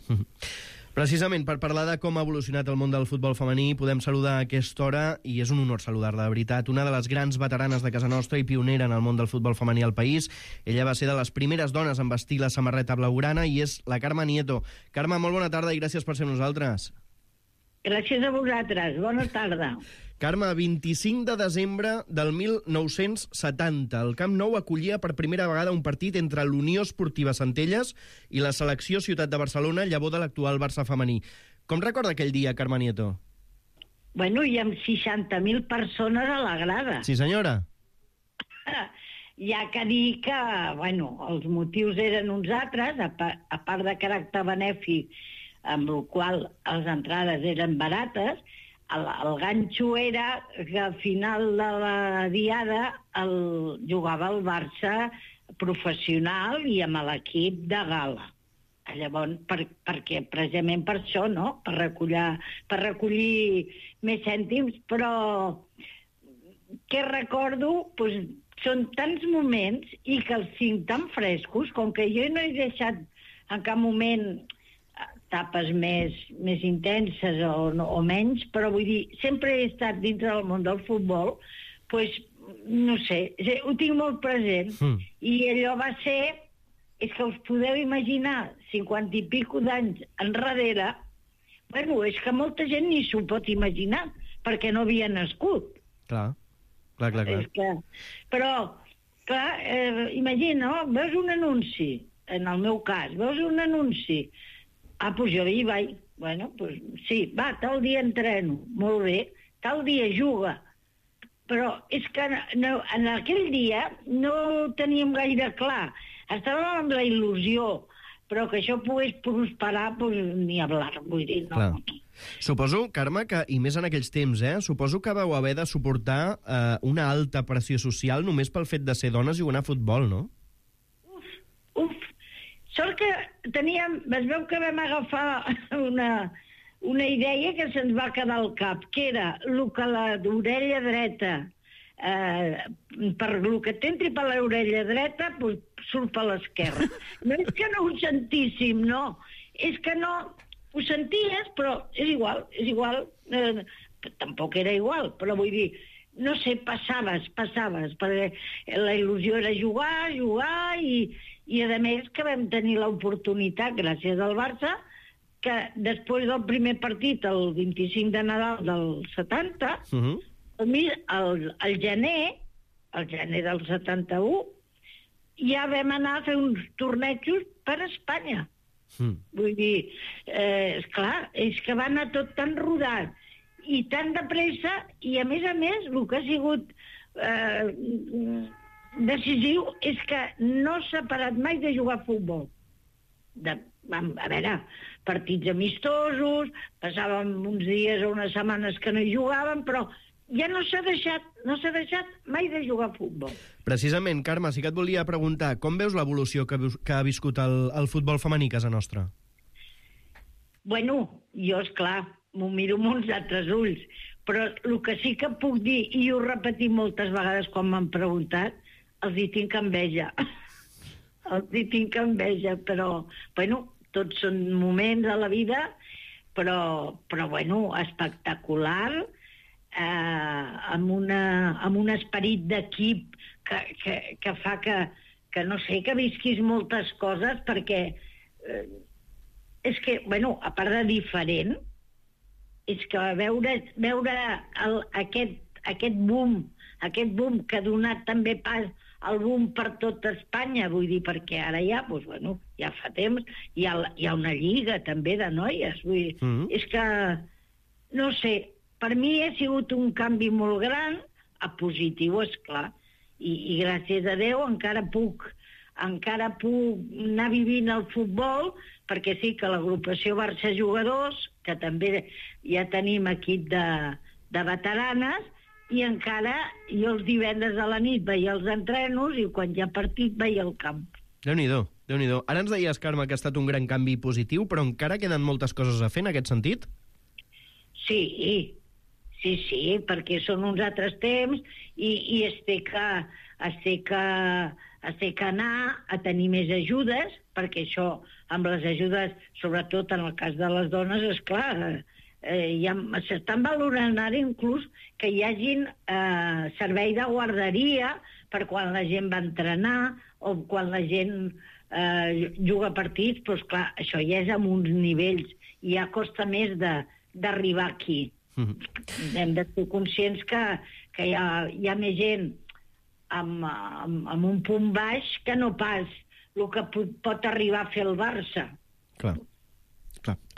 Precisament per parlar de com ha evolucionat el món del futbol femení, podem saludar a aquesta hora, i és un honor saludar-la, de veritat, una de les grans veteranes de casa nostra i pionera en el món del futbol femení al país. Ella va ser de les primeres dones en vestir la samarreta blaugrana i és la Carme Nieto. Carme, molt bona tarda i gràcies per ser amb nosaltres.
Gràcies a vosaltres, bona tarda.
Carme, 25 de desembre del 1970, el Camp Nou acollia per primera vegada un partit entre l'Unió Esportiva Centelles i la selecció Ciutat de Barcelona, llavor de l'actual Barça femení. Com recorda aquell dia, Carme Nieto?
Bueno, hi ha 60.000 persones a la grada.
Sí, senyora.
Hi ha que dir que, els motius eren uns altres, a part de caràcter benèfic, amb el qual les entrades eren barates. El ganxo era que al final de la diada jugava el Barça professional i amb l'equip de gala. Llavors, perquè precisament per això, no? Per recollir més cèntims, però què recordo? Doncs són tants moments i que els tinc tan frescos, com que jo no he deixat en cap moment etapes més intenses o menys, però vull dir, sempre he estat dintre del món del futbol, doncs, no sé, ho tinc molt present. I allò va ser, és que us podeu imaginar, 50 i pico d'anys enrere, bueno, és que molta gent ni s'ho pot imaginar, perquè no havia nascut.
Clar.
Però, clar, imagina, veus un anunci, en el meu cas, veus un anunci, doncs jo hi vaig, bueno, doncs sí, va, tal dia entreno, molt bé, tal dia juga, però és que en aquell dia no ho teníem gaire clar, estàvem amb la il·lusió, però que això pogués prosperar, doncs ni hablar, vull dir, no.
Clar. Suposo, Carme, que, i més en aquells temps, suposo que vau haver de suportar una alta pressió social només pel fet de ser dones jugant a futbol, no?
Uf. Sort que teníem... Es veu que vam agafar una idea que se'ns va quedar al cap, que era el que l'orella dreta, per el que t'entri per l'orella dreta, doncs surt per l'esquerra. No és que no ho sentíssim, no. És que no... Ho senties, però és igual. Tampoc era igual, però vull dir, no sé, passaves, perquè la il·lusió era jugar, i a més que vam tenir l'oportunitat, gràcies al Barça, que després del primer partit, el 25 de Nadal del 70, al gener del 71, ja vam anar a fer uns tornejos per Espanya. Vull dir, esclar, és que va anar tot tan rodat i tan de pressa, i a més, el que ha sigut decisiu és que no s'ha parat mai de jugar a futbol. A veure, partits amistosos, passàvem uns dies o unes setmanes que no hi jugàvem, però ja no s'ha deixat mai de jugar a futbol.
Precisament, Carme, sí que et volia preguntar, com veus l'evolució que ha viscut el futbol femení a casa nostra?
Bueno, jo, esclar, m'ho miro amb uns altres ulls, però el que sí que puc dir, i ho he repetit moltes vegades quan m'han preguntat, els hi tinc enveja. Però, bueno, tots són moments a la vida, però bueno, espectacular, amb un esperit d'equip que fa que no sé, que visquis moltes coses, perquè és que, bueno, a part de diferent, és que veure aquest boom que ha donat també pas al boom per tot Espanya, vull dir, perquè ara ja, doncs, bueno, ja fa temps, hi ha una lliga també de noies, vull dir, és que, no sé, per mi ha sigut un canvi molt gran, a positiu, esclar, i gràcies a Déu encara puc anar vivint el futbol, perquè sí que l'agrupació Barça Jugadors, que també ja tenim equip de veteranes, i encara jo els divendres a la nit veia els entrenos i quan hi ha partit veia el camp.
Déu-n'hi-do. Ara ens deies, Carme, que ha estat un gran canvi positiu, però encara queden moltes coses a fer en aquest sentit?
Sí, perquè són uns altres temps i es té que anar a tenir més ajudes, perquè això, amb les ajudes, sobretot en el cas de les dones, esclar, s'estan valorant ara inclús que hi hagin servei de guarderia per quan la gent va entrenar o quan la gent juga partits, però esclar, això ja és amb uns nivells i ja costa més d'arribar aquí. Hem de ser conscients que hi ha més gent amb un punt baix que no pas el que pot arribar a fer el Barça.
Clar.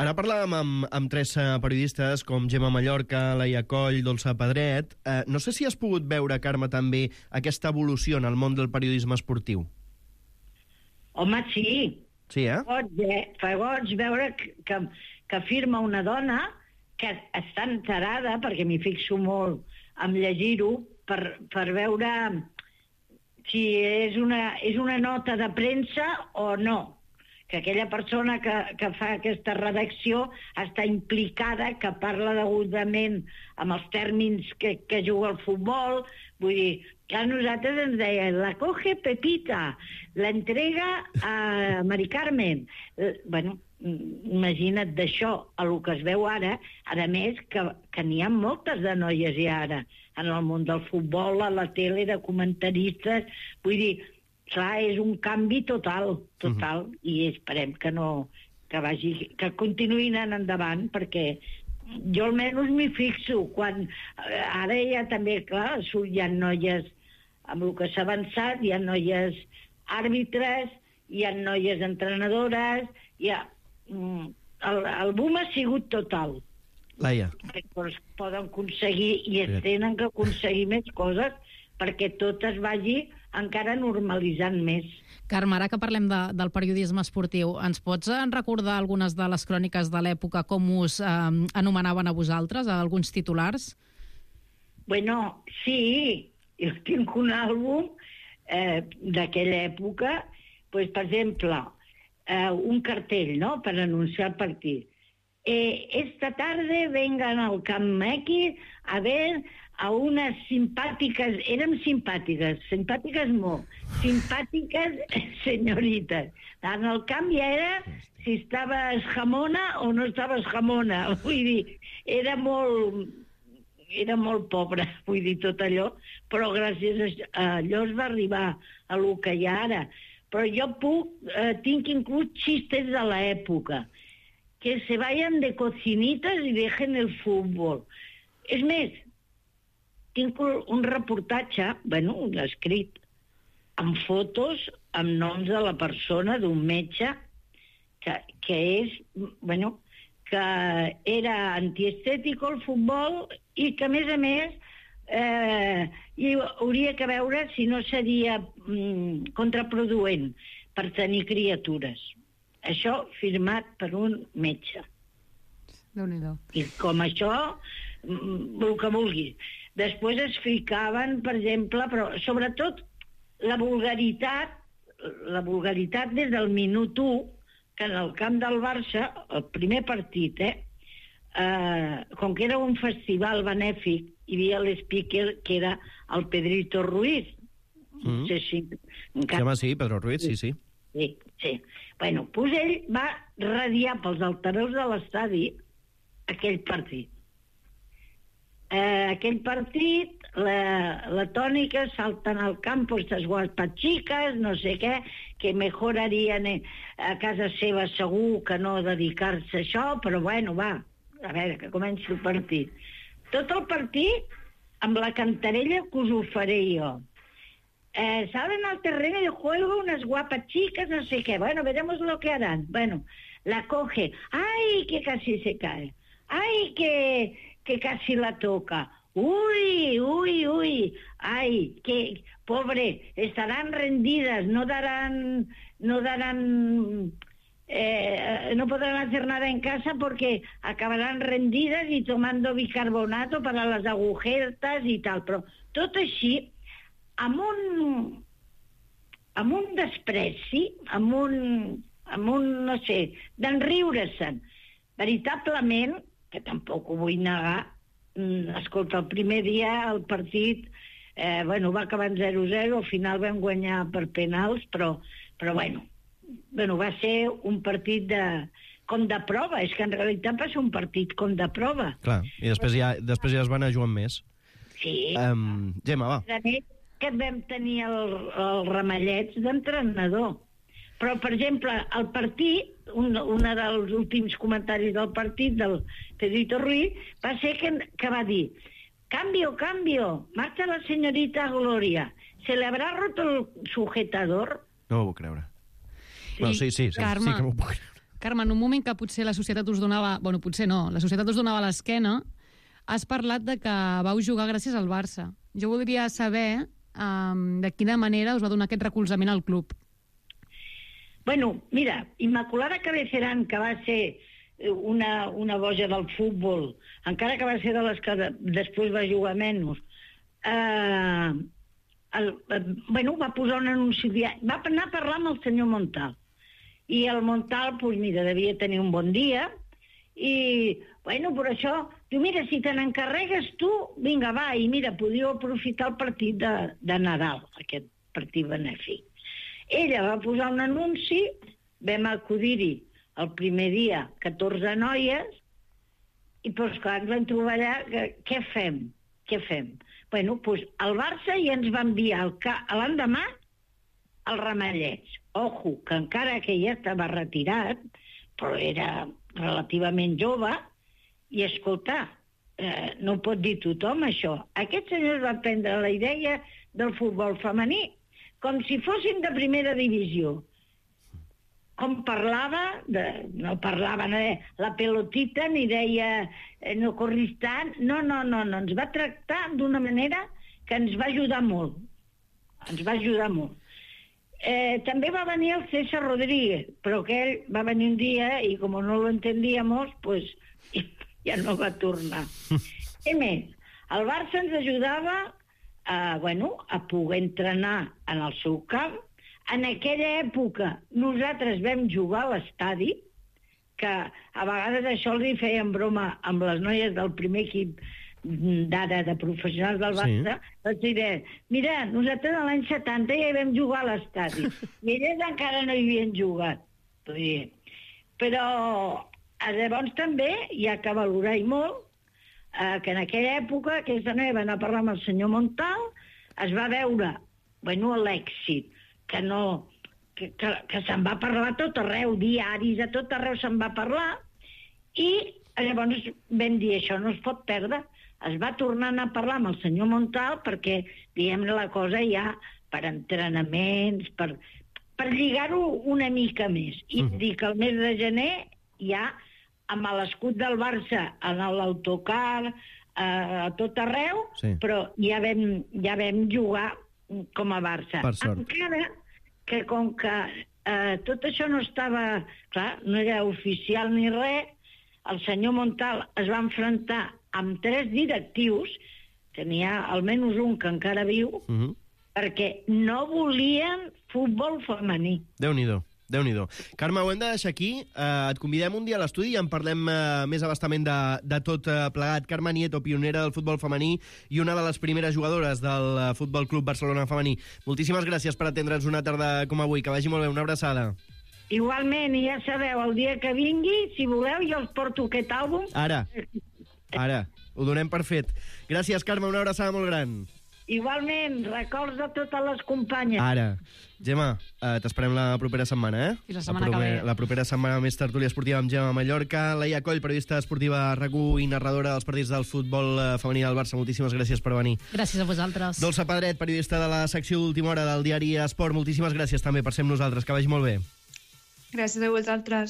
Ara parlàvem amb tres periodistes com Gemma Mallorca, Laia Coll, Dolça Pedret. No sé si has pogut veure, Carme, també aquesta evolució en el món del periodisme esportiu.
Home, sí.
Sí,
Fa goig veure que que firma una dona que està enterada, perquè m'hi fixo molt en llegir-ho, per veure si és una nota de premsa o no. Que aquella persona que fa aquesta redacció està implicada, que parla degudament amb els tèrmins que juga el futbol. Vull dir, que a nosaltres ens deien la coge Pepita, la entrega a Mari Carmen. Bueno, imagina't d'això a el que es veu ara, a més que n'hi ha moltes de noies ja ara en el món del futbol, a la tele, de comentaristes. Vull dir, clar, és un canvi total, i esperem que continuïn anant endavant, perquè jo almenys m'hi fixo, quan ara ja també, clar, hi ha noies, amb el que s'ha avançat, hi ha noies àrbitres, hi ha noies entrenadores, el boom ha sigut total.
Laia.
Però es poden aconseguir, i es tenen que aconseguir més coses, perquè tot es vagi encara normalitzant més.
Carme, ara que parlem del periodisme esportiu, ens pots recordar algunes de les cròniques de l'època, com us anomenaven a vosaltres, a alguns titulars?
Bueno, sí, jo tinc un àlbum d'aquella època, pues, per exemple, un cartell, no?, per anunciar el partit. Esta tarde vengan al Camp X a ver a unas simpáticas, érem simpàtiques molt, simpàtiques senyorites. En el camp ja era si estaves jamona o no estaves jamona. Vull dir, era molt pobre, vull dir, tot allò, però gràcies a allò es va arribar a lo que hi ha ara. Però jo tinc inclús xistes de l'època, que se vayan de cocinitas y dejen el fútbol. És més, tinc un reportatge, bueno, un escrit, amb fotos, amb noms de la persona, d'un metge, que és, bueno, que era antiestètico el futbol i que, a més, hi hauria que veure si no seria contraproduent per tenir criatures. Això firmat per un metge.
Déu-n'hi-do.
I com això, el que vulguis. Després es ficaven, per exemple, però sobretot la vulgaritat des del minut 1, que en el camp del Barça, el primer partit, com que era un festival benèfic, hi havia l'speaker que era el Pedrito Ruiz. No sé si...
Sí, Pedro Ruiz, sí.
Sí. Bueno, doncs ell va radiar pels altaveus de l'estadi aquell partit. Aquell partit, la tònica, salten al campo estas guapas chicas, no sé què, que mejor harien a casa seva segur que no dedicar-se a això, però bueno, va, a veure, que comenci el partit. Tot el partit amb la cantarella que us ho faré jo. Salen al terreno de juego unas guapas chicas, no sé qué. Bueno, veremos lo que harán. Bueno, la coge. ¡Ay, que casi se cae! ¡Ay, que casi la toca! ¡Uy! ¡Ay, que pobre! Estarán rendidas, no podrán hacer nada en casa porque acabarán rendidas y tomando bicarbonato para las agujetas y tal. Però tot així, amb un despreci, amb un no sé, d'enriure-se'n. Veritablement, que tampoc ho vull negar, escolta, el primer dia el partit, va acabar en 0-0, al final vam guanyar per penals, però bueno, va ser un partit com de prova, és que en realitat va ser un partit com de prova.
Clar, i després ja es van anar jugant més.
Sí.
Gemma, va.
Que vam tenir els ramallets d'entrenador. Però, per exemple, el partit, un dels últims comentaris del partit del Pedrito Ruiz, va ser que va dir: cambio, marcha la señorita Gloria, ¿se le habrá roto el sujetador?
No ho puc creure. Bueno, sí
Carme,
sí que m'ho puc creure.
Carme, en un moment que potser la societat us donava... Bueno, potser no, la societat us donava l'esquena, has parlat de que vau jugar gràcies al Barça. Jo voldria saber de quina manera us va donar aquest recolzament al club.
Bueno, mira, Immaculada Cabecerán, que va ser una boja del futbol, encara que va ser de les que després va jugar menys, va posar un anunci, va anar a parlar amb el senyor Montal. I el Montal, doncs mira, devia tenir un bon dia, i, bueno, per això, diu, mira, si te n'encarregues tu, vinga, va, i mira, podíeu aprofitar el partit de Nadal, aquest partit benèfic. Ella va posar un anunci, vam acudir-hi el primer dia 14 noies, i doncs clar, ens vam trobar allà, què fem? Bueno, doncs el Barça ja ens va enviar l'endemà al Ramallets. Ojo, que encara que ja estava retirat, però era relativament jove, i escolta, no ho pot dir tothom això. Aquest senyor va prendre la idea del futbol femení com si fossin de primera divisió. Com parlava, no parlava la pelotita, ni deia no corris tant, no, ens va tractar d'una manera que ens va ajudar molt. També va venir el César Rodríguez, però que ell va venir un dia i com no lo entendíamos, pues ja no va tornar. Què més? El Barça ens ajudava a poder entrenar en el seu camp. En aquella època nosaltres vam jugar a l'estadi, que a vegades això els hi feien broma amb les noies del primer equip d'ara de professionals del Barça, els diré, mira, nosaltres l'any 70 ja hi vam jugar a l'estadi, i elles encara no hi havien jugat. Però llavors també hi ha que valorar-hi molt que en aquella època aquesta noia va anar a parlar amb el senyor Montal, es va veure l'èxit, que se'n va parlar a tot arreu, diaris, a tot arreu se'n va parlar, i llavors vam dir, això no es pot perdre. Es va tornar a anar a parlar amb el senyor Montal perquè, diguem-ne, la cosa ja per entrenaments, per lligar-ho una mica més. I dir que el mes de gener ja, amb l'escut del Barça, en l'autocar, a tot arreu, però ja vam jugar com a Barça. Encara que com que tot això no estava, clar, no era oficial ni res, el senyor Montal es va enfrontar amb 3 directius, tenia almenys un que encara viu, perquè no volien futbol femení.
Déu-n'hi-do. Carme, ho hem de deixar aquí. Et convidem un dia a l'estudi i en parlem més abastament de tot plegat. Carme Nieto, pionera del futbol femení i una de les primeres jugadores del Futbol Club Barcelona femení. Moltíssimes gràcies per atendre'ns una tarda com avui. Que vagi molt bé. Una abraçada.
Igualment, i ja sabeu, el dia que vingui, si voleu, jo els porto aquest àlbum.
Ara, ho donem per fet. Gràcies, Carme, una abraçada molt gran.
Igualment, records de totes les companyes.
Ara. Gemma, t'esperem la propera setmana,
Fins la setmana que ve.
La propera setmana més tertúlia esportiva amb Gemma Mallorca. Laia Coll, periodista esportiva a RAC1 i narradora dels partits del futbol femení del Barça. Moltíssimes gràcies per venir.
Gràcies a vosaltres.
Dolça Pedret, periodista de la secció d'última hora del diari Esport. Moltíssimes gràcies també per ser amb nosaltres. Que vagi molt bé.
Gràcies a vosaltres.